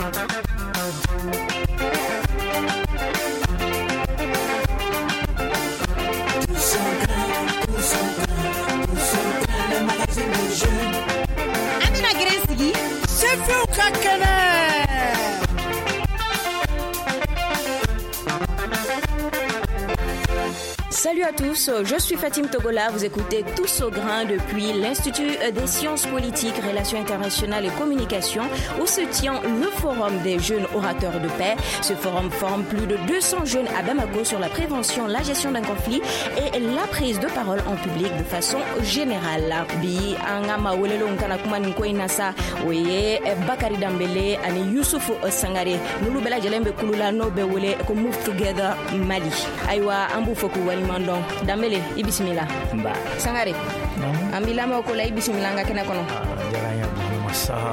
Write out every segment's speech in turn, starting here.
Tous au grain, tous au grain, tous au grain, le magazine des jeunes. An bɛna gɛrɛn sigi Sifinw ka kɛnɛ. Salut à tous, je suis Fatim Togola, vous écoutez Tous au grain depuis l'Institut des sciences politiques, relations internationales et communications où se tient le Forum des jeunes orateurs de paix. Ce forum forme plus de 200 jeunes à Bamako sur la prévention, la gestion d'un conflit et la prise de parole en public de façon générale. Bi an ka maa welelenw kana kuma nin ko in na sa, o ye Bakari Danbele ani Yusufu Sangare, n'olu bɛɛ lajɛlen bɛ kulu la n'o bɛ wele ko Move Together Mali. Ayiwa, an b'u fɔ k'u waleɲuman dɔn. Danbele, i bisimila. Nba. Sangare, an b'i lamɛn o ko la, i bisimila an ka kɛnɛ kɔnɔ. Diyara n ye, Burama Saha.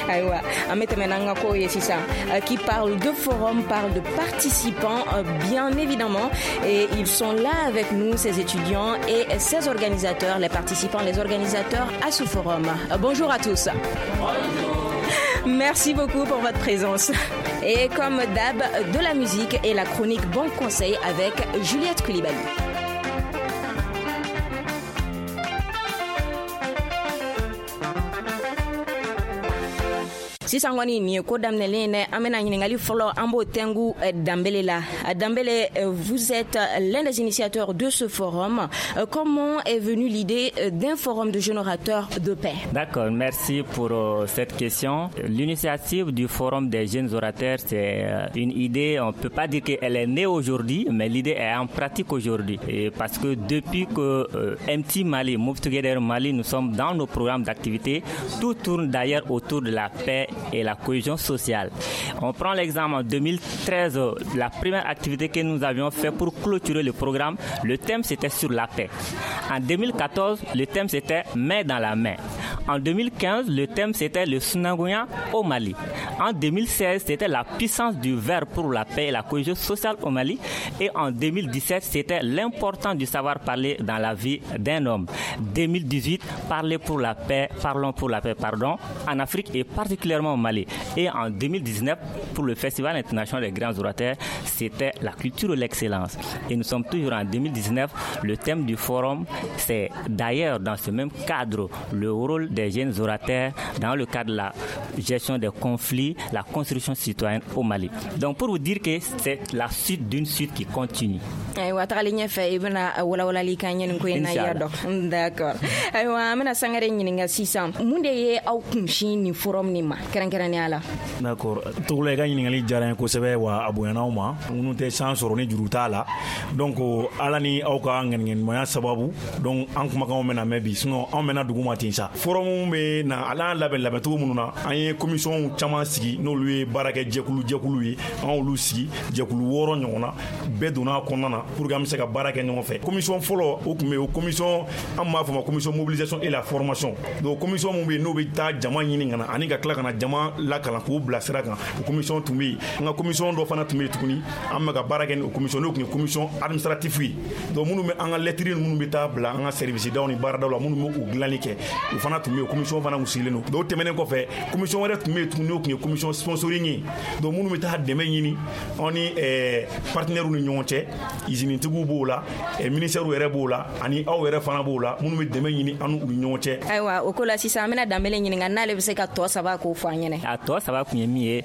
Ayiwa, an bɛ tɛmɛ n'an ka kow ye sisan. Qui parle de forum parle de participants, bien évidemment, et ils sont là avec nous, ces étudiants et ces organisateurs, les participants, les organisateurs à ce forum. Bonjour à tous. Bonjour. Merci beaucoup pour votre présence. Et comme d'hab, de la musique et la chronique Bon Conseil avec Juliette Coulibaly. Sisan kɔni nin ye ko daminɛlen ye dɛ. An bɛna ɲininkali fɔlɔ, an b'o tɛngu Danbele la. Danbele, vous êtes l'un des initiateurs de ce forum. Comment est venue l'idée d'un forum de jeunes orateurs de paix? D'accord, merci pour cette question. L'initiative du forum des jeunes orateurs, c'est une idée, on peut pas dire qu'elle est née aujourd'hui, mais l'idée est en pratique aujourd'hui. Et parce que depuis que MT Mali, Move Together Mali, nous sommes dans nos programmes d'activité, tout tourne d'ailleurs autour de la paix et la cohésion sociale. On prend l'exemple en 2013, la première activité que nous avions fait pour clôturer le programme, le thème c'était sur la paix. En 2014, le thème c'était main dans la main. En 2015, le thème c'était le Sunangoya au Mali. En 2016, c'était la puissance du verre pour la paix et la cohésion sociale au Mali. Et en 2017, c'était l'importance du savoir parler dans la vie d'un homme. 2018, parler pour la paix, parlons pour la paix, pardon, en Afrique et particulièrement au Mali. Et en 2019, pour le Festival international des grands orateurs, c'était la culture de l'excellence. Et nous sommes toujours en 2019. Le thème du forum, c'est d'ailleurs dans ce même cadre le rôle des jeunes orateurs dans le cadre de la gestion des conflits, la construction citoyenne au Mali. Donc pour vous dire que c'est la suite d'une suite qui continue. Ayiwa, tagalen ɲɛfɛ i bɛna walawalali k'an ye nin ko in na, i y'a dɔn. D'accord. Ayiwa, an bɛna Sangare ɲininka sisan, mun de ye aw kunsin nin forum nin ma kɛrɛnkɛrɛnnenya la? D'accord, Togola, i ka ɲininkali diyara n ye kosɛbɛ, wa a bonyana aw ma minnu tɛ san sɔrɔ ni juru t'a la. Donc ala ni aw ka ŋaniŋɛɲumanya sababu, donc an kumakanw bɛna mɛn bi, sinon anw mɛnna dugu ma ten sa. Forum bɛ na ala y'an labɛn labɛncogo minnu na, an ye commission caman sigi, n'olu ye baara kɛ jɛkulu jɛkulu ye, an y'olu sigi jɛkulu 6 ɲɔgɔn na, bɛɛ donna a kɔnɔna na pour que an bɛ se ka baara kɛ ɲɔgɔn fɛ. Commission fɔlɔ o tun bɛ yen, o commission an b'a fɔ ma commission mobilisation et la formation. Donc commission mun bɛ yen n'o bɛ taa jama ɲini ka na ani ka tila ka na jama lakalan k'u bila sira kan, o commission tun bɛ yen. An ka commission dɔ fana tun bɛ yen tuguni, an bɛ ka baara kɛ ni o commission, n'o tun ye commission administrative ye. Donc minnu bɛ an ka lettre minnu bɛ taa bila an ka service daw ni baaradaw la, minnu bɛ u dilanni kɛ, o fana tun bɛ yen, commission fana tun sigilen don. Donc o tɛmɛnen kɔfɛ, commission wɛrɛ tun bɛ yen tuguni, n'o tun ye commission sponsoring ye. Donc minnu bɛ taa dɛmɛ ɲini anw ni partenaires ni ɲɔgɔn cɛ, usinetigiw b'o la, ministère yɛrɛ b'o la, ani aw yɛrɛ fana b'o la, minnu bɛ dɛmɛ ɲini an n'u ni ɲɔgɔn cɛ. Ayiwa, o ko la sisan an bɛna Danbele ɲininka n'ale bɛ se ka tɔ saba k'o fɔ an ɲɛna. A tɔ saba kun ye min ye,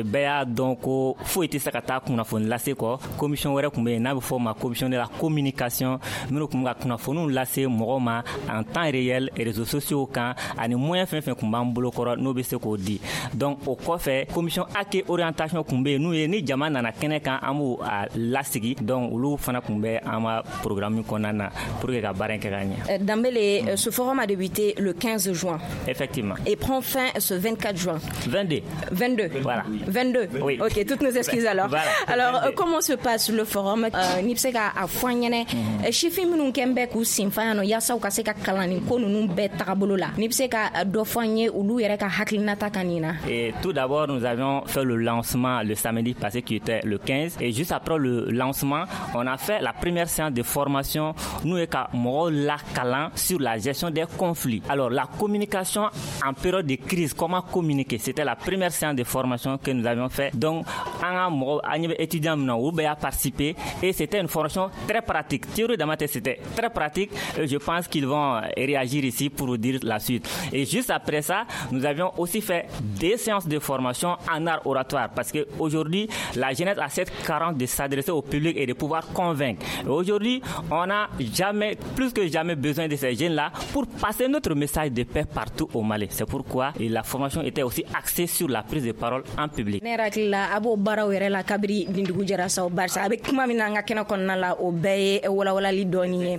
bɛɛ y'a dɔn ko foyi tɛ se ka taa kunnafoni lase kɔ. Commission wɛrɛ tun bɛ yen n'a bɛ fɔ o ma commission de la communication, minnu tun bɛ ka kunnafoniw lase mɔgɔw ma en temps réel réseaux sociaux kan ani moyen fɛn fɛn tun b'an bolo kɔrɔ n'o bɛ se k'o di. Donc o kɔfɛ, commission accueil orientation tun bɛ yen, n'u ye ni jama nana kɛnɛ kan, an b'u a lasigi. Donc olu fana tun bɛ an ka programme kɔnɔna na pour que ka baara in kɛ ka ɲɛ. Danbele, ce forum a débuté le 15 juin. Effectivement. Et prend fin ce 24 juin. 22. 22. Voilà. 22. Oui. Ok, toutes nos excuses alors. Voilà. Alors, 22. comment se passe le forum? Ni bɛ se ka a fɔ an ɲɛnɛ. Sifin minnu kɛn bɛ k'u senfa yan nɔ yaasa u ka se ka kalan nin ko ninnu bɛɛ tagabolo la, n'i bɛ se ka dɔ fɔ an ye olu yɛrɛ ka hakilina hakilinata kan nin na? Et tout d'abord, nous avions fait le lancement le samedi passé qui était le 15, et juste après le lancement, on a fait la première séance de formation nous et ka mɔgɔw lakalan sur la gestion des conflits. Alors la communication en période de crise, comment communiquer, c'était la première séance de formation que nous avions fait. Donc an ka mɔgɔw, an ɲɛ bɛ étudiants min na, olu bɛɛ y'a participer et c'était une formation très pratique. Théorie dama tɛ, c'était très pratique et je pense qu'ils vont réagir ici pour vous dire la suite. Et juste après ça, nous avions aussi fait des séances de formation en art oratoire parce que aujourd'hui, la jeunesse a cette carence de s'adresser au public et de pouvoir convaincre. Et aujourd'hui, on a jamais, plus que jamais besoin de ces jeunes-là pour passer notre message de paix partout au Mali. C'est pourquoi la formation était aussi axée sur la prise de parole en public. Ne yɛrɛ hakili la, a b'o baaraw yɛrɛ la kabiri nin dugu jɛra sa, barisa a bɛ kuma min na an ka kɛnɛ kɔnɔna la, o bɛɛ ye walawalali dɔɔni ye.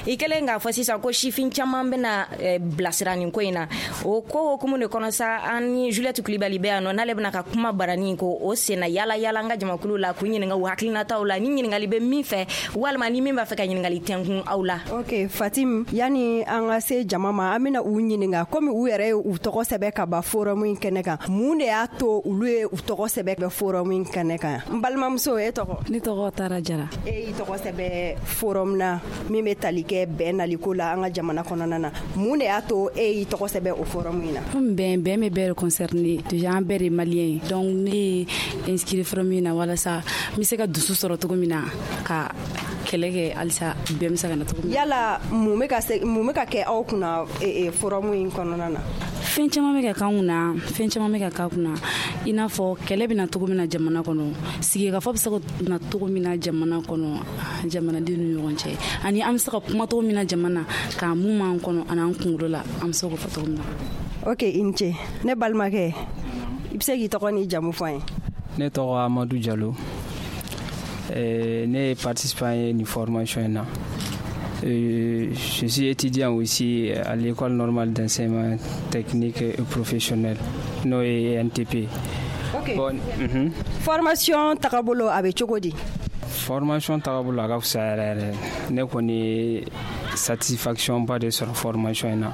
I kɛlen k'a fɔ sisan ko sifin caman bɛna bilasira nin ko in na, o ko hokumu de kɔnɔ sa, an ni Juliette Kulibali bɛ yan nɔ, n'ale bɛna ka kuma barani ko o senna yala yala an ka jamakulu la k'u ɲininka u hakilinataw la, ni ɲininkali bɛ min fɛ walima ni min b'a fɛ ka ɲininkali tɛnkun aw la. Ok Fatim, yani an ka se jama ma, an bɛna u ɲininka komi u yɛrɛ ye u tɔgɔ sɛbɛn ka ban forum in kɛnɛ kan, mun de y'a to olu ye u tɔgɔ sɛbɛn forum in kɛnɛ kan? N balimamuso, e tɔgɔ? Ne tɔgɔ Tara Jara. E y'i tɔgɔ sɛbɛn forum na min bɛ tali kɛ bɛn naliko la an ka jamana kɔnɔna na, mun de y'a to e y'i tɔgɔ sɛbɛn o forum in na? Komi bɛn bɛ bɛɛ de concerné, déjà an bɛɛ de malien ye, donc ne ye inscrit forum in na walasa n bɛ se ka dusu sɔrɔ cogo min na ka kɛlɛ kɛ halisa bɛn bɛ se ka na cogo min na. Yala mun bɛ ka kɛ aw kunna forum in kɔnɔna na? Fɛn caman bɛ ka k'an kunna, fɛn caman bɛ ka k'an kunna, i n'a fɔ kɛlɛ bɛ na cogo min na jamana kɔnɔ, sigikafɔ bɛ se ka na cogo min na jamana kɔnɔ, jamanadenw ni ɲɔgɔn cɛ, ani an bɛ se ka kuma cogo min na jamana k'a mun b'an kɔnɔ ani an kunkolo la, an bɛ se k'o fɔ cogo min na. Ok, i ni ce. Ne balimakɛ, i bɛ se k'i tɔgɔ n'i jamu fɔ an ye? Ne tɔgɔ Amadu Jalo. Ne ye participant ye nin formation in na. Je suis étudiant aussi à l'école normale d'enseignement technique et professionnel, n'o ye NTP. Ok. Bon, Formation tagabolo a bɛ cogo di? Formation tagabolo a ka fisa yɛrɛ yɛrɛ. Ne kɔni ye satisfaction ba de sɔrɔ formation in na.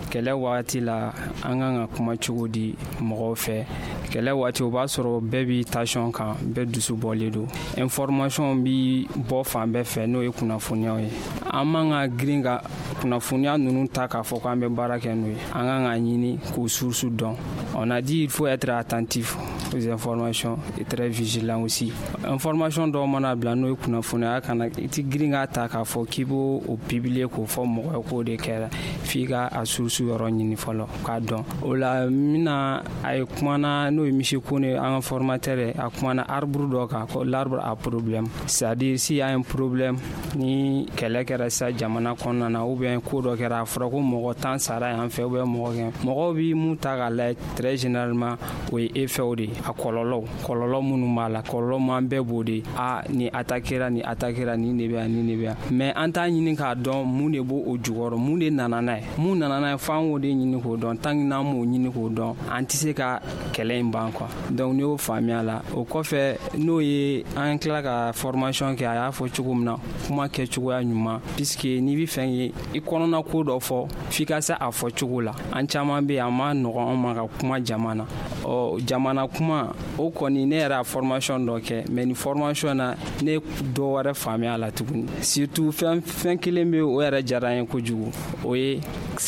Kɛlɛ waati la, an kan ka kuma cogo di mɔgɔw fɛ? Kɛlɛ waati, o b'a sɔrɔ bɛɛ b'i tension kan, bɛɛ dusu bɔlen don, information bi bɔ fan bɛɛ fɛ, n'o ye kunnafoniyaw ye. An man ka girin ka kunnafoniya ninnu ta k'a fɔ k'an bɛ baara kɛ n'o ye. An kan ka ɲini k'o source dɔn. On a dit il faut être attentif aux informations et très vigilant aussi. Information dɔw mana bila, n'o ye kunnafoniya, kana i ti girin k'a ta k'a fɔ k'i b'o o publier k'o fɔ mɔgɔ ye k'o de kɛra, f'i ka a source yɔrɔ ɲini fɔlɔ k'a dɔn. O la n bɛna a ye kumana, n'o ye Monsieur Kone, an ka formateur ye, a kumana arbre dɔ kan ko l'arbre à problème, c'est-à-dire s'il y a un problème, ni kɛlɛ kɛra sisan jamana kɔnɔna na ou bien ko dɔ kɛra, a fɔra ko mɔgɔ 10 sara yan fɛ ou bien mɔgɔ kɛ, mɔgɔw bi mun ta k'a lajɛ très généralement, o ye effet de ye, a kɔlɔlɔw, kɔlɔlɔ minnu b'a la, kɔlɔlɔ min an bɛɛ b'o de, a nin attaquera, nin attaquera, nin de bɛ yan, nin de bɛ yan, mais an t'a ɲini k'a dɔn mun de b'o o jukɔrɔ, mun de nana n'a ye, mun nana n'a ye, f'an k'o de ɲini k'o dɔn. Tant que n'an m'o ɲini k'o dɔn, an tɛ se ka kɛlɛ in ban quoi. Donc n'i y'o faamuya la, o kɔfɛ, n'o ye an tila ka formation kɛ, a y'a fɔ cogo min na, kuma kɛcogoya ɲuman, puisque n'i bɛ fɛ i kɔnɔna ko dɔ fɔ, f'i ka se a fɔ cogo la. An caman bɛ yen, a ma nɔgɔn an ma ka kuma jama na. Ɔ jamana kuma o kɔni, ne yɛrɛ y'a formation dɔ kɛ, mais nin formation na, ne dɔ wɛrɛ faamuya la tuguni. Surtout fɛn fɛn kelen bɛ, o yɛrɛ diyara n ye kojugu, o ye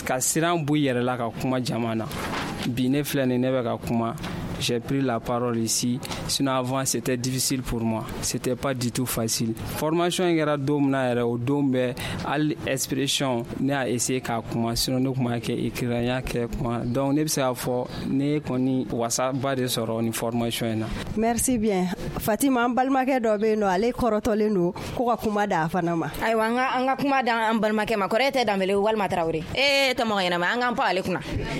ka siran bɔ i yɛrɛ la ka kuma jama na. Bi ne filɛ nin, ne bɛ ka kuma, j'ai pris la parole ici. Sinon avant, c'était difficile pour moi. C'était pas du tout facile. Formation in kɛra don min na yɛrɛ, o don bɛɛ, hali expression, ne y'a essayé k'a kuma, sinon ne tun b'a kɛ écrit, n y'a kɛ kuma. Donc ne bɛ se k'a fɔ ne kɔni wasaba de sɔrɔ nin formation in na. Merci bien Fatima. An balimakɛ dɔ bɛ yen nɔ, ale kɔrɔtɔlen don ko ka kuma da a fana ma. Ayiwa, an ka kuma da an balimakɛ ma. Kɔrɔ e tɛ Danbele walima Tarawele, e tɛ mɔgɔ ɲɛnama, an k'an pan ale kunna,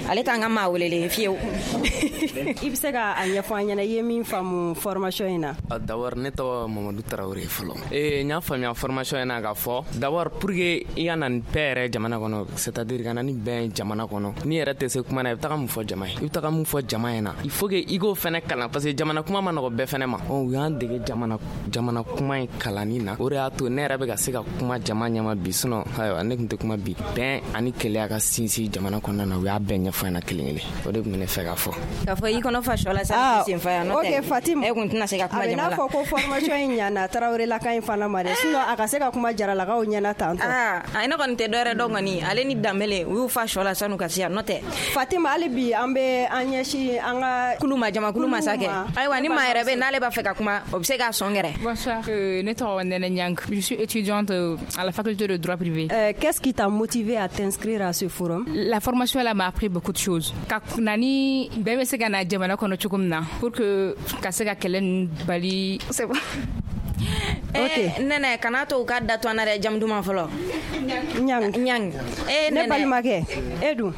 ale t'an ka maa welelen fiyewu. I bɛ se ka a ɲɛfɔ an ɲɛna, i ye min faamu formation in na? D'abord, ne tɔgɔ Mamadu Tarawele fɔlɔ. N y'a faamuya formation in na k'a fɔ d'abord, pour que i ka na ni paix yɛrɛ jamana kɔnɔ, c'est à dire ka na ni bɛn jamana kɔnɔ, n'i yɛrɛ tɛ se kuma na, i bɛ taga mun fɔ jama ye? I bɛ taga mun fɔ jama ɲɛna? Il faut que i k'o fɛnɛ kalan, parce que jamana kuma ma nɔgɔ bɛɛ fɛnɛ ma. U y'an dege jamana kuma in kalanni na, o de y'a to ne yɛrɛ bɛ ka se ka kuma jama ɲɛma bi. Sinon ayiwa, ne tun tɛ kuma bi. Bɛn ani keleya ka sinsin jamana kɔnɔna na, u y'a bɛɛ ɲɛfɔ ɲɛna kelen kelen. O de tun bɛ ne fɛ k'a fɔ. K'a fɔ i kɔnɔ fa sɔ la sa, sen fa yan, n'o tɛ Ok Fatim, e kun tɛna se ka kuma a bɛ jama n'a la. fɔ ko formation in ɲana Tarawelelaka in fana ma dɛ, sinon a ka se ka kuma Jaralakaw ɲɛna tantɔ. Aa, ne kɔni tɛ dɔwɛrɛ dɔn kɔni, ale ni Danbele u y'u fa sɔ la sanu ka se yan, n'o tɛ. Fatima, hali bi an bɛ an ɲɛsin an ka kulu ma, jamakulu ma sa kɛ. Ayiwa, ni maa yɛrɛ bɛ n'ale b'a fɛ ka kuma, o bɛ se k'a sɔn gɛrɛ. Bonsoir, ne tɔgɔ Nene Nyang. Je suis étudiante à la faculté de droit privé. Qu'est-ce qui t'a motivé à t'inscrire à ce forum? La formation là m'a appris beaucoup de choses. Ka nani bɛɛ bɛ se ka na jamana kɔnɔ cogo min na pour que ka se ka kɛlɛ ninnu bali. C'est bon. Ok. Nɛnɛ, kana to u ka da to an na dɛ, jamu duman fɔlɔ. Ɲang. Ɲang. Ne balimakɛ, e dun?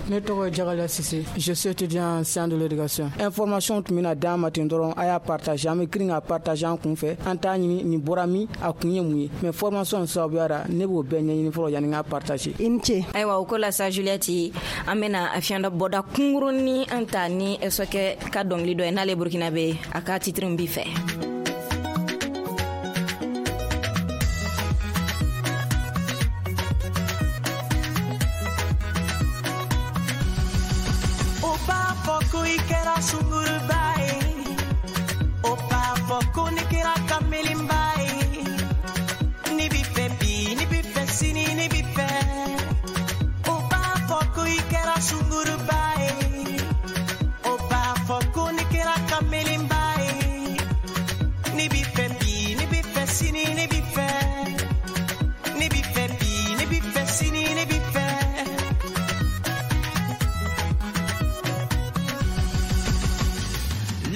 Ne tɔgɔ ye Jagala Sise, je suis étudiant en sciences de l'éducation. Information tun bɛna d'an ma ten dɔrɔn, a y'a partager, an bɛ girin ka partager an kun fɛ, an t'a ɲini nin bɔra min, a kun ye mun ye. Mais formation sababuya la, ne b'o bɛɛ ɲɛɲini fɔlɔ yanni n k'a partager. I ni ce. Ayiwa, o ko la sa, Juliette, an bɛna fiɲɛ dɔ bɔda kunkurunin an ta ni Sɔkɛ ka dɔnkili dɔ ye, n'ale Burkina bɛ, a ka titre b'i fɛ. Kɛra sunguruba ye, o b'a fɔ ko ne kɛra kamelenba ye. Ne b'i fɛ bi, ne b'i fɛ sini, ne b'i fɛ. O b'a fɔ ko i kɛra sunguruba ye, o b'a fɔ ko ne kɛra kamelenba ye. Ne b'i fɛ bi, ne b'i fɛ sini, ne b'i fɛ. Ne b'i fɛ bi, ne b'i fɛ sini, ne b'i fɛ.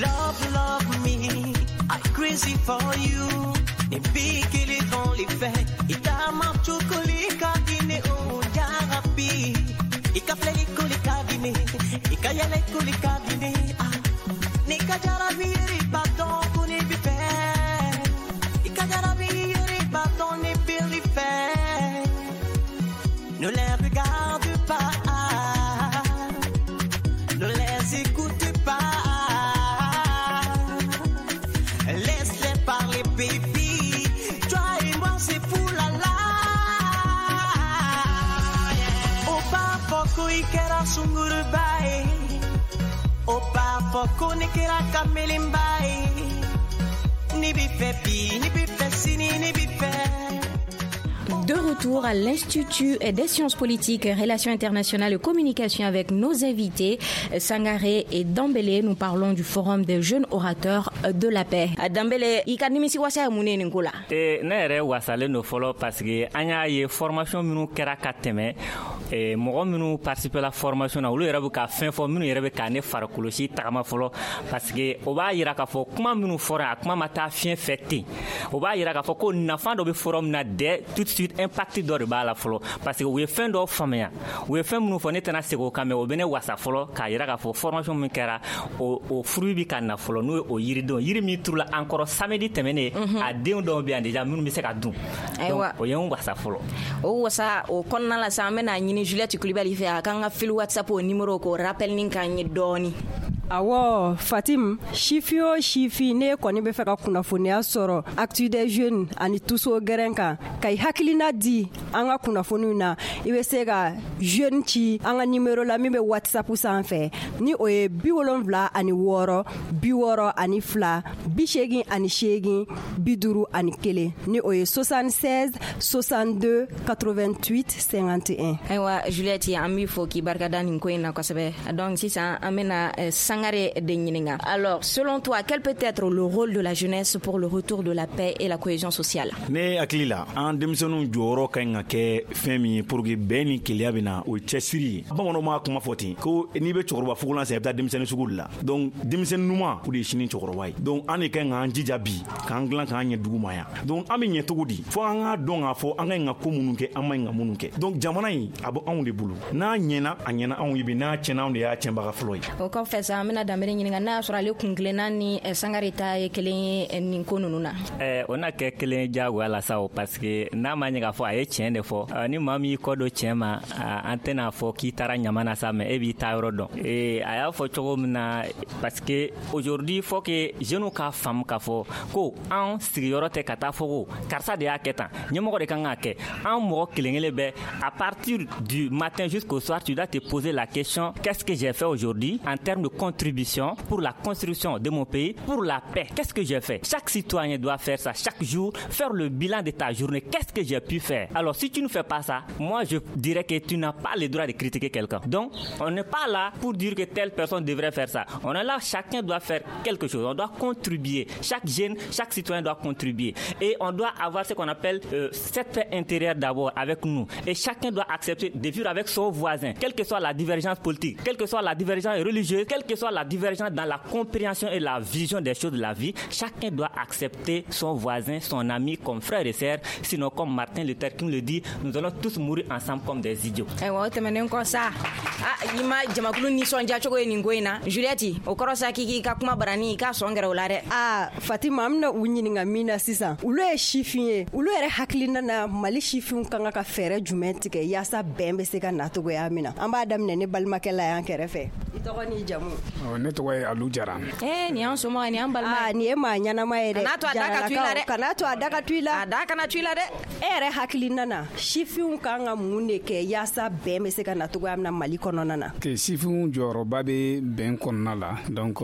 Love, love me, I'm crazy for you. Ne bikili dans les faits, itama chukuli kadine o jarabi. Ika fleli kuli kadine, ika yele kuli kadine. Ah, nika jarabi yeri baton kuni bife. Ika jarabi yeri baton ne bili fe. Ne les regarde pas, ne les écoute pas. Laisse-les parler, baby. Toi et moi, c'est fou la la. O b'a fɔ ko i kɛra sunguruba ye, o b'a fɔ ko ne kɛra kamelenba ye. Ne b'i fɛ bi, ne b'i fɛ sini, ne b'i fɛ. De retour à l'Institut des sciences politiques, relations internationales et communication avec nos invités Sangaré et Dambélé. Nous parlons du Forum des jeunes orateurs de la paix. Dambélé, i ka nimisi wasa ye mun ye nin ko la? Ne yɛrɛ wasalen don fɔlɔ, parce que an y'a ye formation minnu kɛra ka tɛmɛ, mɔgɔ minnu participer la formation na, olu yɛrɛ bɛ ka fɛn fɔ minnu yɛrɛ bɛ ka ne farikolosi tagama fɔlɔ, parce que o b'a yira k'a fɔ kuma minnu fɔra, a kuma ma taa fiɲɛ fɛ ten. O b'a yira k'a fɔ ko nafa dɔ bɛ forum na dès tout de suite, impact dɔ de b'a la fɔlɔ, parce que u ye fɛn dɔ faamuya, u ye fɛn minnu fɔ, ne tɛna segin o kan, mais o bɛ ne wasa fɔlɔ k'a yira k'a fɔ formation min kɛra, o fruit bɛ ka na fɔlɔ, n'o ye o yiridenw, yiri min turula an kɔrɔ samedi tɛmɛnen, a denw dɔw bɛ yan déjà minnu bɛ se ka dun. Ayiwa, o ye n wasa fɔlɔ. O wasa o kɔnɔna la sa, an bɛna ɲini Juliette Kulibali fɛ, a k'an ka fil WhatsApp o numéro k'o rappel ni k'an ye dɔɔni. Awɔ Fatim, sifin o sifin, ne kɔni bɛ fɛ ka kunnafoniya sɔrɔ Actu des jeunes ani Tuso gɛrɛn kan, ka i hakilina di an ka kunnafoniw na, i bɛ se ka jeune ci an ka nimero la min bɛ WhatsApp sanfɛ, ni o ye 76 62 88 51, ni o ye 76 62 88 51. Ayiwa Juliette, an b'i fo k'i barikada nin ko in na kosɛbɛ. Donc sisan an bɛna Sangaré de ɲininka. Alors, selon toi, quel peut être le rôle de la jeunesse pour le retour de la paix et la cohésion sociale? Ne hakili la, an denmisɛnninw jɔyɔrɔ ka ɲi ka kɛ fɛn min ye pour que bɛn ni keleya bɛ na, o ye cɛsiri ye. Bamananw b'a kuma fɔ ten ko n'i bɛ cɛkɔrɔba fugulan san, i bɛ taa denmisɛnnin sugu de la. Donc denmisɛnnin ɲuman, o de ye sini cɛkɔrɔba ye. Donc an de ka ɲi k'an jija bi k'an dilan k'an ɲɛ dugu ma yan. Donc an bɛ ɲɛ cogo di? Fo an k'a dɔn k'a fɔ an ka ɲi ka ko minnu kɛ, an ma ɲi ka minnu kɛ. Donc jamana in, a bɛ anw de bolo. N'a ɲɛna, a ɲɛna anw ye bi. N'a tiɲɛna, anw de y'a tiɲɛbaga fɔlɔ ye. O kɔfɛ sa, an bɛna Danbele ɲininka n'a y'a sɔrɔ ale kun kelenna ni Sangare ta ye kelen ye nin ko ninnu na. O na kɛ kelen ye diyagoya la sa o, parce que n'a ma ɲɛ k'a fɔ a ye tiɲɛ de fɔ, ni maa min y'i kɔ don tiɲɛ ma, an tɛna fɔ k'i taara ɲama na sa, mais e b'i ta yɔrɔ dɔn. A y'a fɔ cogo min na, parce que aujourd'hui faut que jeunes k'a faamu k'a fɔ ko an sigiyɔrɔ tɛ ka taa fɔ ko karisa de y'a kɛ tan, ɲɛmɔgɔ de kan k'a kɛ. An mɔgɔ kelen kelen bɛɛ, à partir du matin jusqu'au soir, tu dois te poser la question: qu'est-ce que j'ai fait aujourd'hui en termes de contribution pour la construction de mon pays, pour la paix? Qu'est-ce que j'ai fait? Chaque citoyen doit faire ça chaque jour, faire le bilan de ta journée. Qu'est-ce que j'ai pu faire? Alors si tu ne fais pas ça, moi je dirais que tu n'as pas le droit de critiquer quelqu'un. Donc on n'est pas là pour dire que telle personne devrait faire ça. On est là, chacun doit faire quelque chose. On doit contribuer. Chaque jeune, chaque citoyen doit contribuer. Et on doit avoir ce qu'on appelle cette paix intérieure d'abord avec nous. Et chacun doit accepter de vivre avec son voisin, quelle que soit la divergence politique, quelle que soit la divergence religieuse, quelle que soit la divergence dans la compréhension et la vision des choses de la vie. Chacun doit accepter son voisin, son ami comme frère et sœur. Sinon, comme Martin Luther King le dit, nous allons tous mourir ensemble comme des idiots. Ayiwa, o tɛmɛnen kɔ sa, a i ma jamakulu nisɔndiya cogo ye nin ko in na, Juliette, o kɔrɔ sa k'i k'i ka kuma barani i k'a sɔn gɛrɛ o la dɛ. Aa Fatima, an bɛna u ɲininka min na sisan, olu ye sifin ye, olu yɛrɛ hakilina na, Mali sifinw ka kan ka fɛɛrɛ jumɛn tigɛ yaasa bɛn bɛ se ka na cogoya min na? An b'a daminɛ ne balimakɛ la yan kɛrɛfɛ. I tɔgɔ n'i jamu? Ne tɔgɔ ye Alu Jara. Ee, nin y'an somɔgɔ ye, nin y'an balima ye. Aa, nin ye maa ɲɛnama ye dɛ. Kan'a to a da ka tu i la dɛ. Kan'a to a da ka tu i la. A da kana tu i la dɛ. E yɛrɛ hakilina na, sifinw kan ka mun de kɛ yaasa bɛn bɛ se ka na cogoya min na Mali kɔnɔna na? Sifinw jɔyɔrɔba bɛ bɛn kɔnɔna la. Donc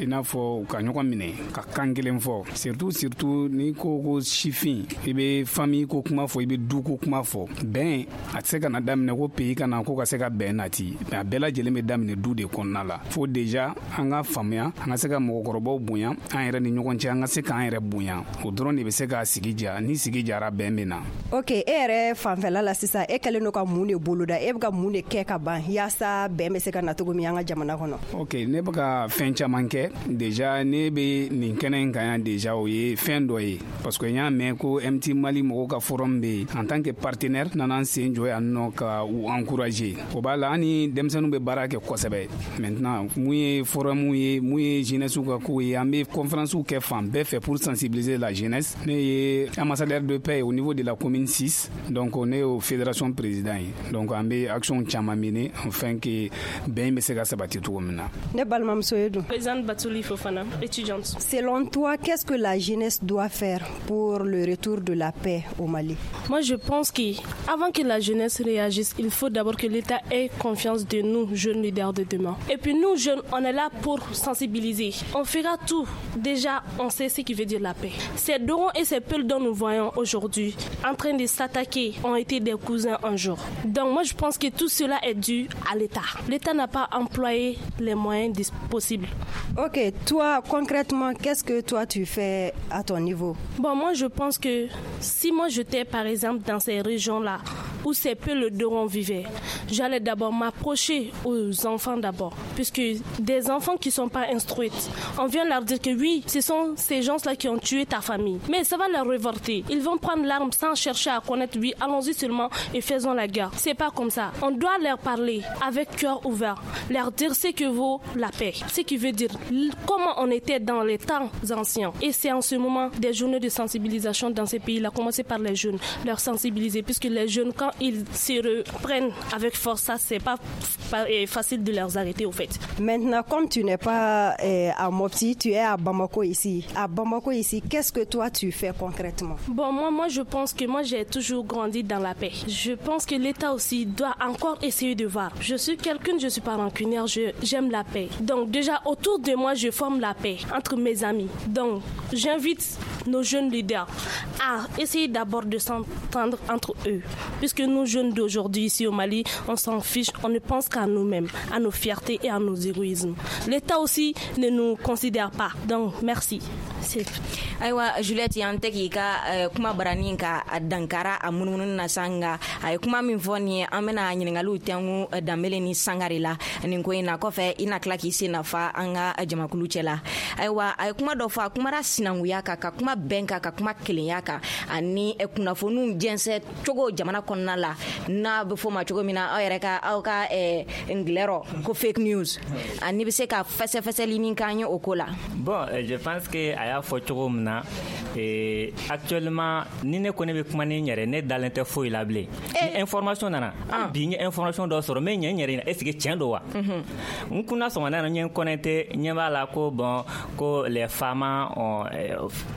i n'a fɔ u ka ɲɔgɔn minɛ ka kan kelen fɔ, surtout n'i ko sifin, i bɛ famille ko kuma fɔ, i bɛ du ko kuma fɔ. Bɛn a tɛ se ka na daminɛ ko pays ka na ko ka se ka bɛn nati, mais a bɛɛ lajɛlen bɛ daminɛ du de kɔnɔna la. Fo déjà an ka faamuya, an ka se ka mɔgɔkɔrɔbaw bonya, an yɛrɛ ni ɲɔgɔn cɛ, an ka se k'an yɛrɛ bonya. O dɔrɔn de bɛ se k'a sigi diya. Ni sigi jara, bɛn bɛ na. Ok, e yɛrɛ fanfɛla la sisan, e kɛlen don ka mun de boloda? E bɛ ka mun de kɛ ka ban yaasa bɛn bɛ se ka na cogo min an ka jamana kɔnɔ? Ok, ne bɛ ka fɛn caman kɛ déjà. Ne bɛ nin kɛnɛ in kan yan déjà, o ye fɛn dɔ ye, parce que n y'a mɛn ko MT Mali mɔgɔw ka forum bɛ yen. En tant que partenaire, nana n sen jɔ yan nɔ ka u encourager. O b'a la, an ni denmisɛnninw bɛ baara kɛ kosɛbɛ. Maintenant, mun ye forum ye, mun ye jeunesse ka kow ye, an bɛ conférence kɛ fan bɛɛ fɛ pour sensibiliser la jeunesse. Ne ye ambassadeur de paix au niveau de la commune 6, donc ne y'o fédération président ye. Donc an bɛ action caman mener afin que bɛn bɛ se ka sabati cogo min na. Ne balimamuso ye dun? Présidente Batouli Fofana, étudiante. Selon toi, qu'est-ce que la jeunesse doit faire pour le retour de la paix au Mali? Moi, je pense qu'avant que la jeunesse réagisse, il faut d'abord que l'État ait confiance de nous, jeunes leaders de demain. Et puis nous, jeunes, on est là pour sensibiliser. On fera tout. Déjà, on sait ce qui veut dire la paix. Ces Dogons et ces Peuls dont nous voyons aujourd'hui en train de s'attaquer ont été des cousins un jour. Donc moi, je pense que tout cela est dû à l'État. L'État n'a pas employé les moyens possibles. Ok, toi, concrètement, qu'est-ce que toi tu fais à ton niveau? Bon, moi, je pense que si moi j'étais, par exemple, dans ces régions-là, où ces Peuls Dogons vivaient, j'allais d'abord m'approcher aux enfants d'abord, puisque des enfants qui ne sont pas instruits, on vient leur dire que oui, ce sont ces gens-là qui ont tué ta famille. Mais ça va leur révolter. Ils vont prendre l'arme sans chercher à connaître, oui, allons-y seulement et faisons la guerre. C'est pas comme ça. On doit leur parler avec cœur ouvert, leur dire ce que vaut la paix, ce qui veut dire comment on était dans les temps anciens. Et c'est en ce moment des journées de sensibilisation dans ces pays-là, commencer par les jeunes, leur sensibiliser, puisque les jeunes, quand ils se reprennent avec force, ça, c'est pas facile de les arrêter, au fait. Maintenant, comme tu n'es pas à Mopti, tu es à Bamako ici. À Bamako ici, qu'est-ce que toi tu fais concrètement? Bon, moi, je pense que moi, j'ai toujours grandi dans la paix. Je pense que l'État aussi doit encore essayer de voir. Je suis quelqu'un, je suis pas rancunière, j'aime la paix. Donc déjà, autour de moi, je forme la paix entre mes amis. Donc, j'invite nos jeunes leaders à essayer d'abord de s'entendre entre eux. Puisque nous, jeunes d'aujourd'hui, ici au Mali, on s'en fiche, on ne pense qu'à nous-mêmes, à nos fiertés et à nos égoïsmes. L'État aussi ne nous considère pas. Donc, merci. Ayiwa Juliette, yan tɛ k'i ka kuma barani ka dankara a munumunu na sa, nka a ye kuma min fɔ nin ye, an bɛna ɲininkaliw tɛnku Danbele ni Sangare la nin ko in na. Kɔfɛ, i na tila k'i sen nafa an ka jamakulu cɛ la. Ayiwa, a ye kuma dɔ fɔ, a kumara sinankunya kan, ka kuma kuma bɛn kan, ka kuma kelenya kan, ani kunnafoniw jɛnsɛn cogo jamana kɔnɔna la, n'a bɛ fɔ o ma cogo min na aw yɛrɛ ka aw ka ngilɛrɔ ko fake news, ani bɛ se ka fɛsɛfɛsɛli min k'an ye o ko la. Bon, je pense que a y'a fɔ cogo min na, actuellement ni ne ko ne bɛ kuma ni n yɛrɛ, ne dalen tɛ foyi la bilen. Ni information nana, bi n ye information dɔ sɔrɔ, n bɛ ɲɛ n yɛrɛ ɲina, est ce que tiɲɛ don wa? N kunna sɔgɔmada in na, n ye n connecté, n ɲɛ b'a la ko bon, ko les femmes ont,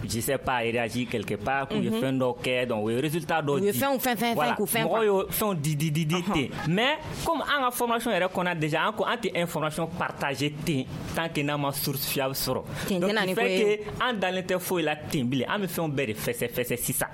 je sais pas, réagi quelque part, k'u ye fɛn dɔ kɛ, donc u ye résultat dɔ di. U ye fɛnw fɛn fɛn fɛn k'u fɛn. Mɔgɔw ye fɛnw di di di di ten, mais comme an ka formation yɛrɛ kɔnɔ déjà, an ko an tɛ information partager ten tant que n'an ma source fiable sɔrɔ. Donc il fait que an dalen tɛ foyi la ten bilen, an bɛ fɛnw bɛɛ de fɛsɛfɛsɛ sisan.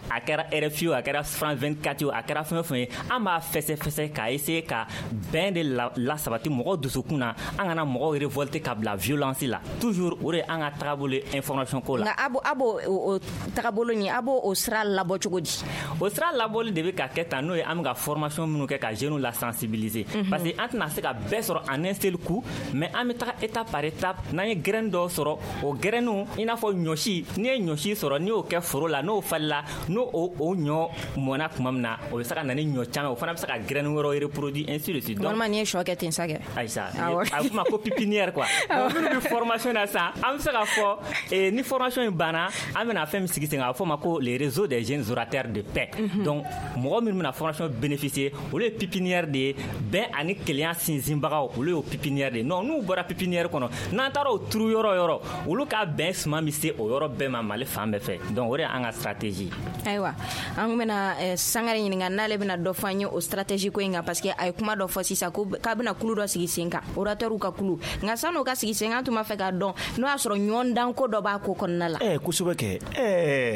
A kɛra RFI o, a kɛra France 24 o, a kɛra fɛn o fɛn ye, an b'a fɛsɛfɛsɛ k'a essayer ka bɛn de lasabati mɔgɔw dusukun na, an kana mɔgɔw révolter ka bila violence la. Toujours o de ye an ka tagabolo ye information ko la. Nka a b'o o tagabolo nin, a b'o o sira labɔ cogo di? O sira labɔli de bɛ ka kɛ tan, n'o ye an bɛ ka formation minnu kɛ ka jeunes la sensibiliser, parce que an tɛna se ka bɛɛ sɔrɔ en un seul coup, mais an bɛ taga étape par étape. N'an ye graine dɔw sɔrɔ, o graine, i n'a fɔ ɲɔsi, n'i ye ɲɔsi sɔrɔ, n'i y'o kɛ foro la, n'o falila, n'o o ɲɔ mɔnna tuma min na, o bɛ se ka na ni ɲɔ caman, o fana bɛ se ka graine wɛrɛw reproduire, ainsi de suite. Donc walima n'i ye sɔ kɛ ten sa kɛ. Ayisa, a bɛ f'o ma ko pépinière quoi. Bon, minnu bɛ formation na sisan, an bɛ se k'a fɔ ni formation in banna, an bɛna fɛn min sigi sen kan, a bɛ f'o ma ko les réseaux des jeunes orateurs de paix. Donc mɔgɔ minnu bɛna formation bénéficier, olu ye pépinière de ye, bɛn ani kelenya sinsinbagaw, olu y'o pépinière de ye. Non, n'u bɔra pépinière kɔnɔ, n'an taara o turu yɔrɔ o yɔrɔ, olu ka bɛn suman bɛ se o yɔrɔ bɛɛ ma Mali fan bɛɛ fɛ. Donc o de y'an ka stratégie. Ayiwa, an bɛna Sangare ɲininka n'ale bɛna dɔ fɔ an ye o stratégie ko in kan, parce que a ye kuma dɔ fɔ sisan ko k'a bɛna kulu dɔ sigi sen kan, orateur ka kulu. Nka san'o ka sigi sen kan, an tun b'a fɛ k'a dɔn n'o y'a sɔrɔ ɲɔgɔn ko dɔ b'a ko kɔnɔna la. Kosɛbɛ kɛ.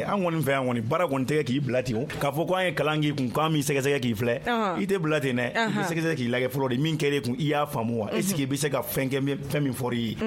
An kɔni fɛ yan kɔni, baara kɔni tɛ kɛ k'i bila ten o, k'a fɔ ko an ye kalan k'i kun k'an b'i sɛgɛsɛgɛ k'i filɛ, i tɛ bila ten dɛ, i bɛ sɛgɛsɛgɛ k'i lajɛ fɔlɔ de, min kɛra e kun, i y'a faamu wa? Est ce que i bɛ se ka fɛn kɛ fɛn min fɔr'i ye?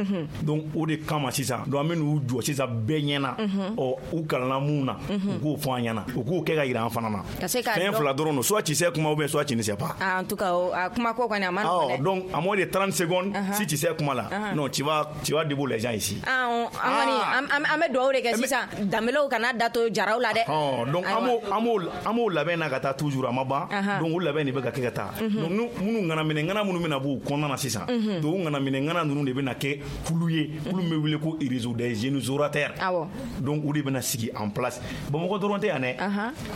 Donc o de kama sisan, donc an bɛ n'u jɔ sisan bɛɛ ɲɛna, ɔ u kalanna mun na, u k'o fɔ an ɲɛna, u k'o kɛ ka yira an fana na. Fɛn fila dɔrɔn don, soit tu sais kuma ou bien soit tu ne sais pas. Ah, en tout cas, a kuma ko kɔni a ma nɔgɔn dɛ. Donc à moins de 30 secondes, si tu sais kuma la, non, tu vas debout les gens ici. Ah, an kɔni an bɛ dugawu de kɛ sisan, danbelew kana da to jaraw la dɛ. Donc an b'o labɛn na ka taa toujours, a ma ban. Donc o labɛn de bɛ ka kɛ ka taa. Donc minnu ŋanaminɛ ŋana minnu bɛna b'u kɔnɔna na sisan, donc o ŋanaminɛ ŋana ninnu de bɛna kɛ kulu ye, kulu min bɛ wele ko réseau des jeunes orateurs. Donc o de bɛna sigi en place. Bamakɔ dɔrɔn tɛ yan dɛ,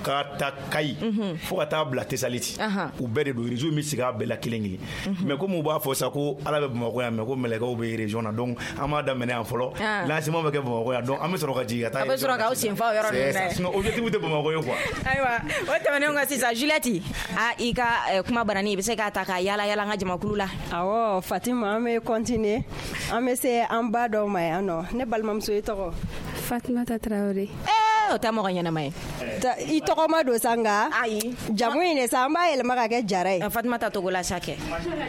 ka ta Kayi fo ka taa bila Tesaliti, u bɛɛ de don, réseau in bɛ sigi a bɛɛ la kelen kelen. Mais comme u b'a fɔ sa ko Ala bɛ Bamakɔ yan, mais ko mɛlɛkɛw bɛ région na, donc an b'a daminɛ yan fɔlɔ, lancement bɛ kɛ Bamakɔ yan, donc an bɛ sɔrɔ ka jigin ka taa. A bɛ sɔrɔ k'aw sen fa o yɔrɔ ninnu na. Sinon objectif tɛ Bamakɔ ye quoi. Ayiwa, o tɛmɛnen kɔ sisan, Juliette, a i ka kuma barani, i bɛ se k'a ta ka yala yala an ka jamakulu la. Awɔ, Fatima, an bɛ continuer, an bɛ se an ba dɔw ma yan nɔ. Ne balimamuso, i tɔgɔ? Fatumata Tarawele. O tɛ mɔgɔ ɲɛnama ye. I tɔgɔ ma don sa, nka ayi, jamu in de sa, an b'a yɛlɛma ka kɛ Jara ye. Fatumata Togola sa kɛ,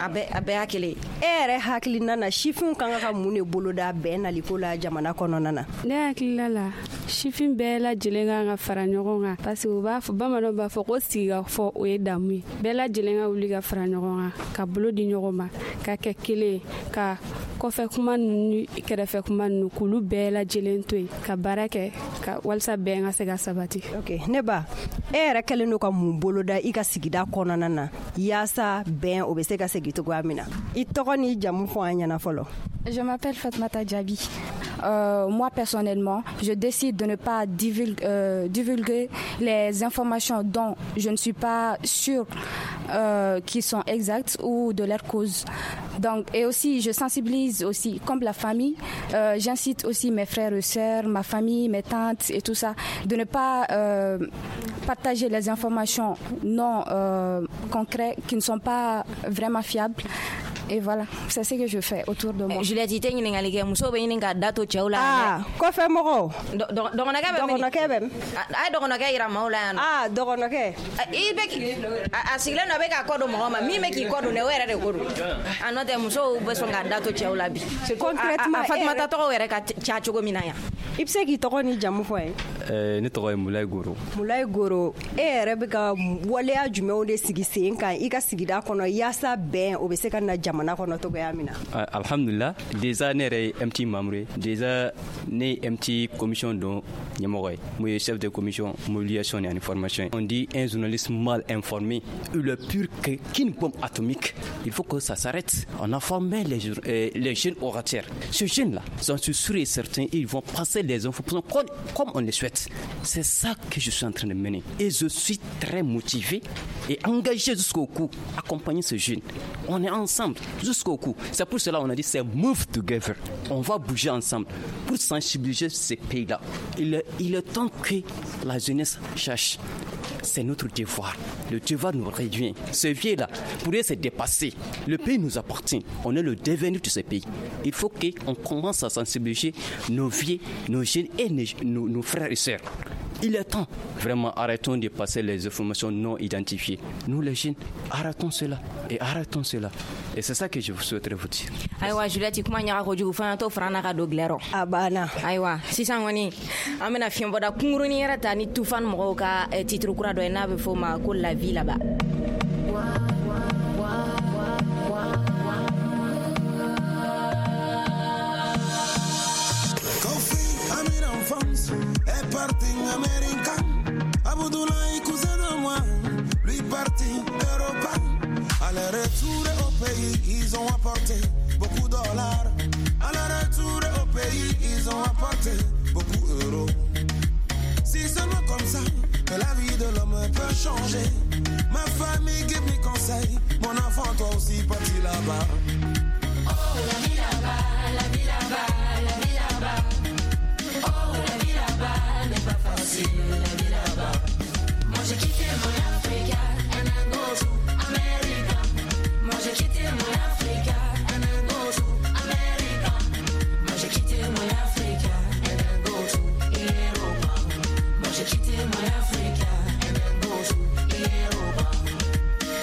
a bɛɛ y'a kelen ye. E yɛrɛ hakilina na, sifinw kan ka mun de boloda bɛn naliko la jamana kɔnɔna na? Ne hakilina la, sifin bɛɛ lajɛlen kan ka fara ɲɔgɔn kan, parce que u b'a fɔ, bamananw b'a fɔ ko sigikafɔ o ye damu ye. Bɛɛ lajɛlen ka wuli ka fara ɲɔgɔn kan, ka bolo di ɲɔgɔn ma, ka kɛ kelen ye, ka kɔfɛ kuma ninnu, kɛrɛfɛ kuma ninnu, k'olu bɛɛ lajɛlen to yen, ka baara kɛ ka walasa bɛn ka se ka sabati. Ok, ne ba, e yɛrɛ kɛlen don ka mun boloda i ka sigida kɔnɔna na yaasa bɛn o bɛ se ka segin cogoya min na? I tɔgɔ n'i jamu fɔ an ɲɛna fɔlɔ. Je m'appelle Fatmata Djabi. Moi, personnellement, je décide de ne pas divulguer les informations dont je ne suis pas sûre qui sont exactes ou de leur cause. Donc, et aussi, je sensibilise aussi, comme la famille, j'incite aussi mes frères et sœurs, ma famille, mes tantes et tout ça, de ne pas partager les informations non concrètes, qui ne sont pas vraiment fiables. Et voilà, c'est ce que je fais autour de moi. Juliette, i tɛ ɲininkali kɛ, musow bɛ ɲini ka da to cɛw la. Ah, kɔfɛ mɔgɔw. Dɔgɔnɔkɛ bɛ min? Dɔgɔnɔkɛ bɛ min? A ye dɔgɔnɔkɛ yira maaw la yan nɔ. Ah, dɔgɔnɔkɛ. I bɛ a sigilen don, a bɛ k'a kɔ don mɔgɔ ma, min bɛ k'i kɔ don dɛ, o yɛrɛ de ko don. A n'o tɛ, musow bɛ sɔn k'a da to cɛw la bi. Concrètement, a Fatumata tɔgɔw yɛrɛ ka ca cogo min na yan. I bɛ se k'i tɔgɔ ni jamu fɔ ye? Ne tɔgɔ ye Mulayi Goro. Mulayi Goro, e yɛrɛ bɛ ka waleya jumɛnw de sigi sen kan i ka sigida kɔnɔ yaasa bɛn o bɛ se ka na jamana jamana kɔnɔ cogoya min na. Alhamdulillah, déjà ne yɛrɛ ye MT membre ye, déjà ne ye MT commission dɔ ɲɛmɔgɔ ye, mun ye chef de commission mobilisation ani formation. On dit un journaliste mal informé, il est pire qu'une bombe atomique. Il faut que ça s'arrête. On a formé les jeunes orateurs. Ces jeunes-là, j'en suis sûr et certain, ils vont passer les informations comme on le souhaite. C'est ça que je suis en train de mener. Et je suis très motivé et engagé jusqu'au cou, accompagner ces jeunes. On est ensemble jusqu'au cou. C'est pour cela qu'on a dit c'est move together. On va bouger ensemble pour sensibiliser ces pays-là. Il est temps que la jeunesse cherche. C'est notre devoir. Le devoir nous revient. Ce vieux-là pourrait se dépasser. Le pays nous appartient. On est le devenir de ce pays. Il faut qu'on commence à sensibiliser nos vieux, nos jeunes et nos frères et sœurs. Il est temps. Vraiment, arrêtons de passer les informations non identifiées. Nous, les jeunes, arrêtons cela et arrêtons cela. Et c'est ça que je souhaiterais vous dire. Ayiwa Juliette, kuma ɲaga kojugu fana t'o fara n'a ka don gilɛrɔ. A banna. Ayiwa sisan kɔni an bɛna fiɲɛbɔda kunkurunin yɛrɛ ta ni Tufan mɔgɔw ka titre kura dɔ ye n'a bɛ f'o ma ko La vie là-bas. Est parti américain, Abdoulaye cousin de moi, lui parti Europa. À leur retour au pays, ils ont apporté beaucoup de dollars. À leur retour au pays, ils ont apporté beaucoup d'euros. Si seulement comme ça que la vie de l'homme peut changer. Ma famille give me conseil, mon enfant toi aussi parti là-bas. Oh la vie là-bas, la vie là-bas, la vie là-bas. Oh la vie là-bas n'est pas facile, la vie là-bas. Moi j'ai quitté mon Africa and I go to America. Moi j'ai quitté mon Africa and I go to America. Moi j'ai quitté mon Africa and I go to Europa. Moi j'ai quitté mon Africa and I go to Europa.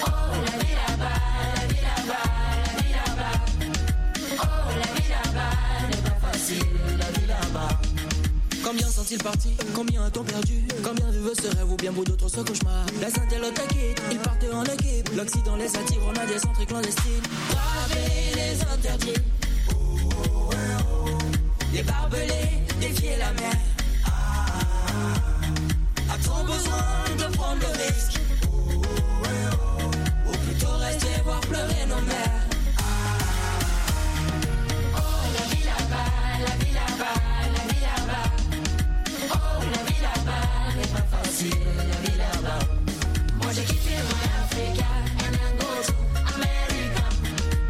Oh la vie là-bas, la vie là-bas, la vie là-bas. Oh la vie là-bas n'est pas facile, la vie là-bas. Combien sont-ils partis? Combien a-t-on perdu? Combien vivent ce rêve ou bien beau d'autres ce cauchemar? La Sainte quitte, ils partent en équipe. L'Occident les attire, on a des entrées clandestines. Braver les interdits, les barbelés, défier la mer. A-t-on besoin de prendre le risque? Ou plutôt rester voir pleurer nos mères? Oh la vie là-bas, la vie là-bas, la vie là-bas. Oh la vie là-bas n'est pas facile, la vie là-bas. Moi j'ai quitté mon Africa and I go to America.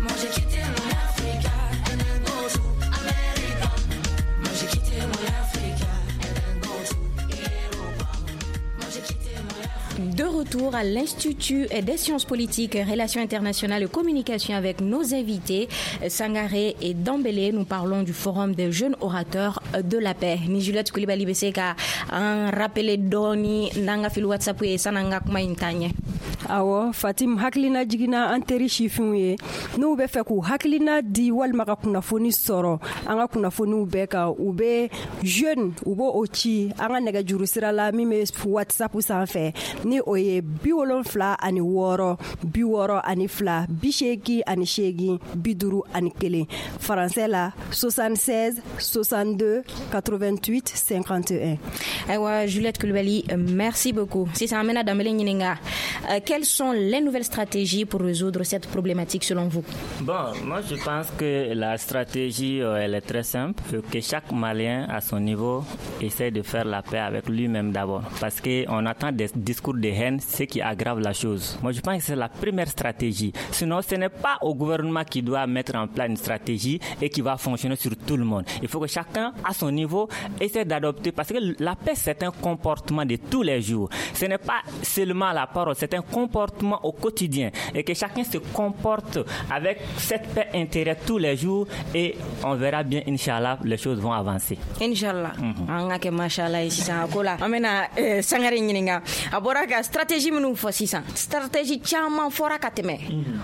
Moi j'ai quitté mon Africa and I go to America. Moi j'ai quitté mon Africa and I go to Europa. Moi j'ai quitté mon Africa. De retour à l'Institut des sciences politiques, relations internationales et communication avec nos invités Sangaré et Dambélé. Nous parlons du Forum des jeunes orateurs de la paix. Ni Juliette Coulibaly bɛ se ka an rappeler dɔɔni n'an ka fili WhatsApp ye san'an ka kuma in taa ɲɛ. Awɔ Fatim, hakilina jiginna an teri sifinw ye n'u bɛ fɛ k'u hakilina di walima ka kunnafoni sɔrɔ an ka kunnafoniw bɛɛ kan, u bɛ jeune u b'o o ci an ka nɛgɛjuru sira la min bɛ WhatsApp sanfɛ ni o ye 76 62 88 51, français la 76 62 88 51. Ayiwa Juliette Coulibaly, merci beaucoup. Sisan an bɛna Dambélé ɲininka. Quelles sont les nouvelles stratégies pour résoudre cette problématique selon vous? Bon, moi je pense que la stratégie, elle est très simple. Que chaque Malien à son niveau essaie de faire la paix avec lui-même d'abord. Parce qu'on attend des discours de haine, ce qui aggrave la chose. Moi je pense que c'est la première stratégie. Sinon, ce n'est pas au gouvernement qui doit mettre en place une stratégie et qui va fonctionner sur tout le monde. Il faut que chacun à son niveau essaie d'adopter. Parce que la paix, c'est un comportement de tous les jours. Ce n'est pas seulement la parole, c'est un comportement au quotidien et que chacun se comporte avec cette paix intérieure tous les jours et on verra bien, Inch'Allah, les choses vont avancer. Inch'Allah. An ka kɛ mashallah ye sisan a ko la. An bɛna Sangare ɲininka. A bɔra ka stratégie minnu fɔ sisan, stratégie caman fɔra ka tɛmɛ,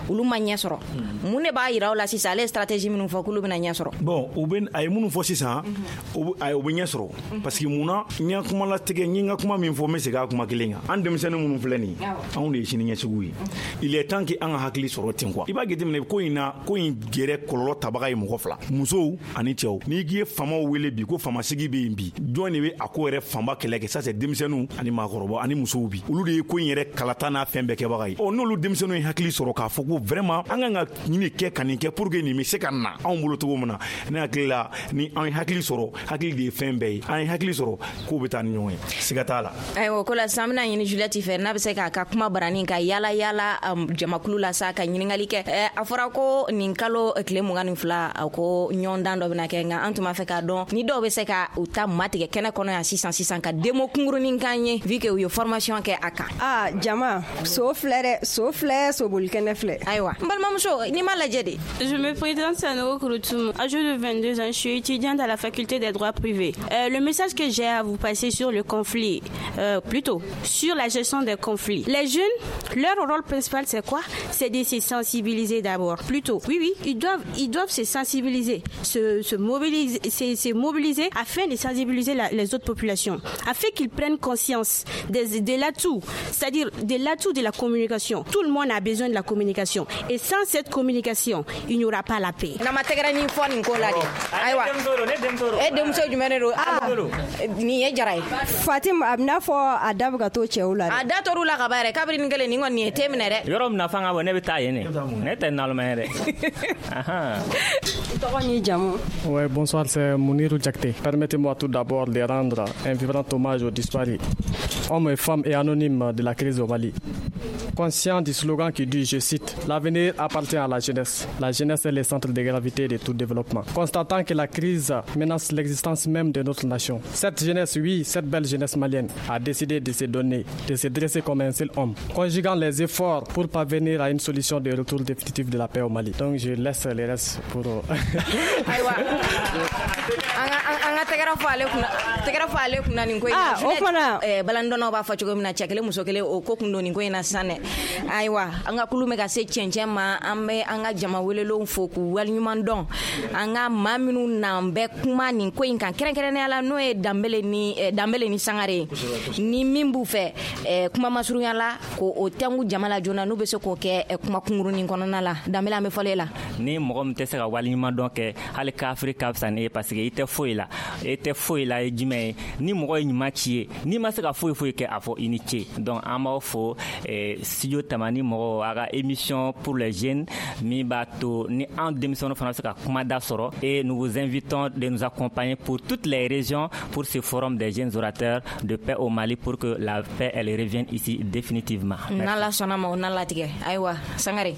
olu ma ɲɛ sɔrɔ. Mun de b'a yira aw la sisan ale ye stratégie minnu fɔ k'olu bɛna ɲɛ sɔrɔ? Bon, u bɛ a ye minnu fɔ sisan, u bɛ ɲɛ sɔrɔ parce que munna n ka kuma latigɛ, n ye n ka kuma min fɔ n bɛ segin a kuma kelen kan. An denmisɛnnin minnu filɛ nin ye, anw de ye sini ɲɛsigiw ye. Il est temps que an ka hakili sɔrɔ ten quoi. I b'a jateminɛ ko in na, ko in yɛrɛ kɔlɔlɔ tabaga ye mɔgɔ fila, musow ani cɛw. N'i k'i ye faamaw wele bi ko faamasigi bɛ yen bi, jɔn de bɛ a ko yɛrɛ fanba kɛlɛ kɛ? Ça c'est denmisɛnninw ani maakɔrɔbaw ani musow bi. Olu de ye ko in yɛrɛ kalata n'a fɛn bɛɛ kɛbaga ye. Ɔ, n'olu denmisɛnninw ye hakili sɔrɔ k'a fɔ ko vraiment an kan ka nin de kɛ ka nin kɛ pour que nin bɛ se ka na anw bolo cogo min na, ne hakili la, ni an ye hakili sɔrɔ, hakili de ye fɛn bɛɛ ye, an ye hakili sɔrɔ, k'o bɛ taa ni ɲɔgɔn ye, siga t'a la. Ayiwa, ko la sisan an bɛna ɲini Juliette fɛ n'a bɛ se k'a ka kuma barani ka yala yala jamakulu la sa ka ɲininkali kɛ. A fɔra ko nin kalo tile 22, a ko ɲɔgɔndan dɔ bɛna kɛ, nka an tun b'a fɛ k'a dɔn ni dɔw bɛ se ka u ta matigɛ kɛnɛ kɔnɔ yan sisan sisan ka demo kunkurunin k'an ye, vu que u ye formation kɛ a kan. Ah, jama, so filɛ dɛ, so filɛ, soboli kɛnɛ filɛ. Ayiwa, n balimamuso, n'i m'a lajɛ de. Je me présente, Sanogo Kouroutoum, âgée de 22 ans, je suis étudiante à la faculté des droits privés. Le message que j'ai à vous passer sur le conflit, plutôt sur la gestion des conflits. Les jeunes, leur rôle principal, c'est quoi? C'est de se sensibiliser d'abord. Plutôt, oui, ils doivent se sensibiliser, se mobiliser, se mobiliser afin de sensibiliser les autres populations, afin qu'ils prennent conscience de l'atout, c'est-à-dire de l'atout de la communication. Tout le monde a besoin de la communication. Et sans cette communication, il n'y aura pas la paix. Na ma tɛgɛrɛ ni fɔ nin ko la de. Ayiwa, e denmuso jumɛn de don? Nin ye Jara ye. Fatim, a bɛna fɔ a da bɛ ka to cɛw la dɛ. A da tor'u la ka ban yɛrɛ, kabiri nin kelen nin kɔni nin ye te minɛ dɛ. Yɔrɔ min na fanga bɔ, ne bɛ taa yen de, ne tɛ naloma ye dɛ. Ahan. Tɔgɔ n'i jamu? Ouais, bonsoir, c'est Mounirou Diakté. Permettez-moi tout d'abord de rendre un vibrant hommage aux disparus, hommes et femmes et anonymes de la crise au Mali. Conscient du slogan qui dit, je cite, «L'avenir appartient à la jeunesse. La jeunesse est le centre de gravité de tout développement.» Constatant que la crise menace l'existence même de notre nation, cette jeunesse, oui, cette belle jeunesse malienne, a décidé de se donner, de se dresser comme un seul homme, conjuguant les efforts pour parvenir à une solution de retour définitif de la paix au Mali. Donc je laisse le reste pour. Ayiwa, an ka tɛgɛrɛ fɔ ale kunna, tɛgɛrɛ fɔ ale kunna nin ko in na. Ah, o fana. Balandɔnnaw b'a fɔ cogo min na, cɛ kelen muso kelen, o ko kun don nin ko in na sisan dɛ. Ayiwa, an ka kulu bɛ ka se cɛncɛn ma, an bɛ an ka jama welelenw fo k'u waleɲuman dɔn, an ka maa minnu n'an bɛ kuma nin ko in kan kɛrɛnkɛrɛnnenya la, n'o ye Danbele ni Sangare ye. Ni min b'u fɛ kuma masurunya la k'o o tɛnku jama la joona, n'u bɛ se k'o kɛ kuma kunkurunin kɔnɔna la. Danbele, an bɛ fɔlɔ e la. Ni mɔgɔ min tɛ se ka waleɲuman dɔn kɛ, hali kafiri ka fisa ni e, parce que i tɛ foyi la, e tɛ foyi la ye jumɛn ye? Ni mɔgɔ ye ɲuman ci ye, n'i ma se ka foyi foyi kɛ, a fɔ i ni ce. Donc an b'aw fo, studio Tamani mɔgɔw, a ka émission pour les jeunes min b'a to ni an denmisɛnninw fana bɛ se ka kumada sɔrɔ. Et nous vous invitons de nous accompagner pour toutes les régions pour ce forum des jeunes orateurs de paix au Mali, pour que la paix, elle revienne ici définitivement. Merci. N'Ala sɔnna ma, o n'a latigɛ. Ayiwa, Sangare,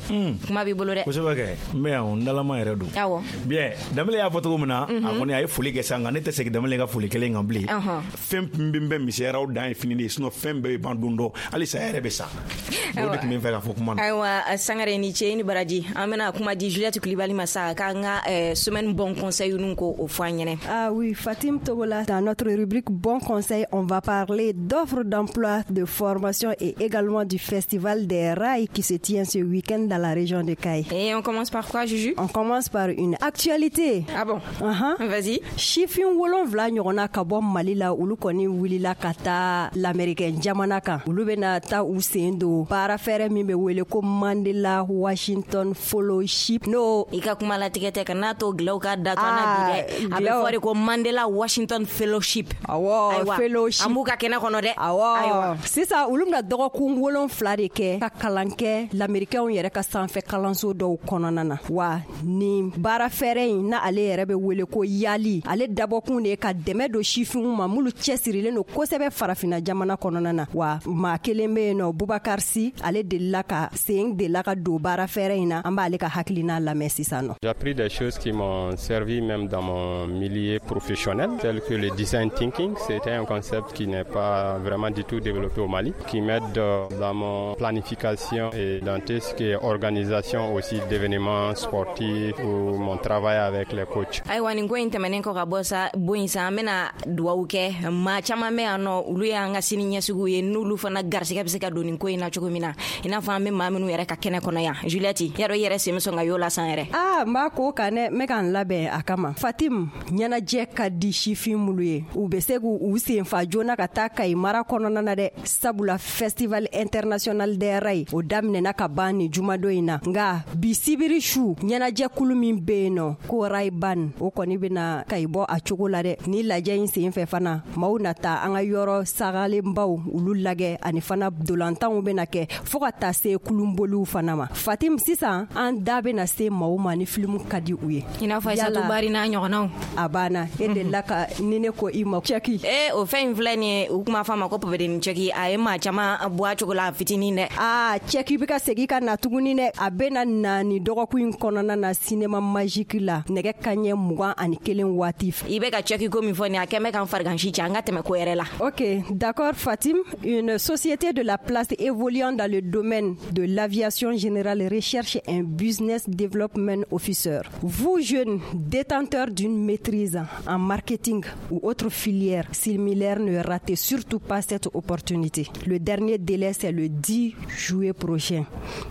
kuma b'i bolo dɛ. Kosɛbɛ kɛ, n bɛ yan o, n dalama yɛrɛ don. Bien, Danbele y'a fɔ cogo min na, a kɔni a ye foli kɛ sa, nka ne tɛ segin Danbele ka foli kelen kan bilen. Fɛn min bɛ misɛnyara, o dan ye fini de ye, sinon fɛn bɛɛ bɛ ban don dɔ, hali saya yɛrɛ bɛ sa. O de tun bɛ n fɛ ka fɔ kuma na. Ayiwa, Sangare, ni ce, ni baraji. An bɛna kuma di Juliette Kulibali ma sa k'an ka semaine bon conseil ninnu ko o fɔ an ɲɛnɛ. Ah oui, Fatim Togola, dans notre rubrique Bon Conseil, on va parler d'offres d'emploi, de formation et également du festival des rails qui se tient ce week-end dans la région de Kayes. Et on commence par quoi, Juju? On commence par une actualité. Ah bon? Vas-y. Sifin 7 ɲɔgɔnna ka bɔ Mali la, olu kɔni wulila ka taa l'Américain jamana kan. Olu bɛna taa u sen don baara fɛrɛ min bɛ wele ko Mandela Washington Fellowship. No, i ka kuma latigɛ tɛ, ka n'a to gilaw ka datu an na bi dɛ. A bɛ fɔ de ko Mandela Washington Fellowship. Awɔ. Ayiwa, fellowship. An b'u ka kɛnɛ kɔnɔ dɛ. Awɔ. Sisan olu bɛna dɔgɔkun 7 de kɛ ka kalan kɛ lamɛrikɛnw yɛrɛ ka sanfɛ kalanso dɔw kɔnɔna na. Wa nin baara fɛrɛ in na, ale yɛrɛ bɛ wele ko YALI, ale dabɔkun de ye ka dɛmɛ don sifinw ma minnu cɛsirilen don kosɛbɛ Farafinna jamana kɔnɔna na. Wa maa kelen bɛ yen nɔ, Bubakar Si, ale delila ka sen delila ka don baara fɛrɛ in na. An b'ale ka hakilina lamɛn sisan nɔ. J'ai appris des choses qui m'ont servi même dans mon milieu professionnel, tel que le design thinking. C'était un concept qui n'est pas vraiment du tout développé au Mali, qui m'aide dans mon planification et dans tout ce qui est organisation aussi d'événements sportifs ou mon travail avec les coachs. Ayiwa, nin ko in tɛmɛnen kɔ ka bɔ sa bon in sa, an bɛna duwawu kɛ maa caman bɛ yan nɔ, olu y'an ka sini ɲɛsigiw ye, n'olu fana garisigɛ bɛ se ka don nin ko in na cogo. cogo min na, i n'a fɔ an bɛ maa minnu yɛrɛ ka kɛnɛ kɔnɔ yan. Juliette, yarɔ i yɛrɛ sen bɛ sɔn ka y'o la san yɛrɛ? Aa, n b'a ko kan dɛ, n bɛ ka n labɛn a kama. Fatim, ɲɛnajɛ ka di sifin minnu ye, u bɛ se k'u sen fa joona ka taa Kayi mara kɔnɔna na dɛ, sabula Festival international des rails o daminɛna ka ban nin jumadon in na. Nka bi sibiri su, ɲɛnajɛkulu min bɛ yen nɔ ko Rayban, o kɔni bɛna Kayi bɔ a cogo la dɛ. Ni lajɛ in sen fɛ fana, maaw na taa an ka yɔrɔ sagalenbaw olu lajɛ, ani fana dolantanw bɛna kɛ fo ka taa se kulunboliw fana ma. Fatim, sisan an da bɛna se maaw ma ni filimu ka di u ye, i n'a fɔ Aïssatou Bari n'a ɲɔgɔnnaw. A banna, e delila ka ni ne ko i ma cɛki. Ee, o fɛn in filɛ nin ye, u tun b'a fɔ a ma ko pɔpɛdeni cɛki. A ye maa caman bɔ a cogo la fitinin dɛ. Aa, cɛki bɛ ka segin ka na tuguni dɛ. A bɛna na nin dɔgɔkun in kɔnɔna na cinéma magique la, nɛgɛ kaɲɛ 21 waati. I bɛ ka cɛki ko min fɔ nin, a kɛn bɛ ka n farigansi cɛ. An ka tɛmɛ ko yɛrɛ la. Ok, d'accord Fatim. Une société de la place évoluant dans le domaine de l'aviation générale recherche un business development officer. Vous, jeunes détenteurs d'une maîtrise en marketing ou autre filière similaire, ne ratez surtout pas cette opportunité. Le dernier délai, c'est le 10 juillet prochain.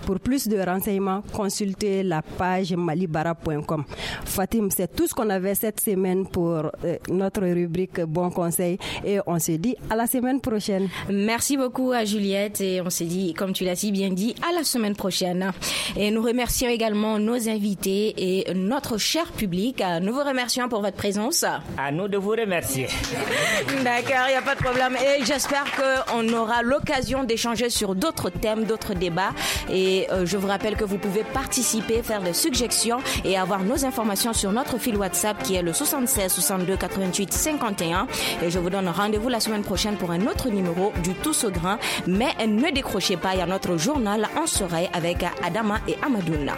Pour plus de renseignements, consultez la page malibara.com. Fatim, c'est tout ce qu'on avait cette semaine pour notre rubrique Bon Conseil, et on se dit à la semaine prochaine. Merci beaucoup à Juliette, et on se dit, comme tu l'as si bien dit, à la semaine prochaine. Et nous remercions également nos invités et notre cher public. Nous vous remercions pour votre présence. À nous de vous remercier. D'accord, il n'y a pas de problème. Et j'espère qu'on aura l'occasion d'échanger sur d'autres thèmes, d'autres débats. Et je vous rappelle que vous pouvez participer, faire des suggestions et avoir nos informations sur notre fil WhatsApp qui est le 76 62 88 51. Et je vous donne rendez-vous la semaine prochaine pour un autre numéro du Tous au grain. Mais ne décrochez pas, il y a notre journal En Soreille avec Adama et Amadouna.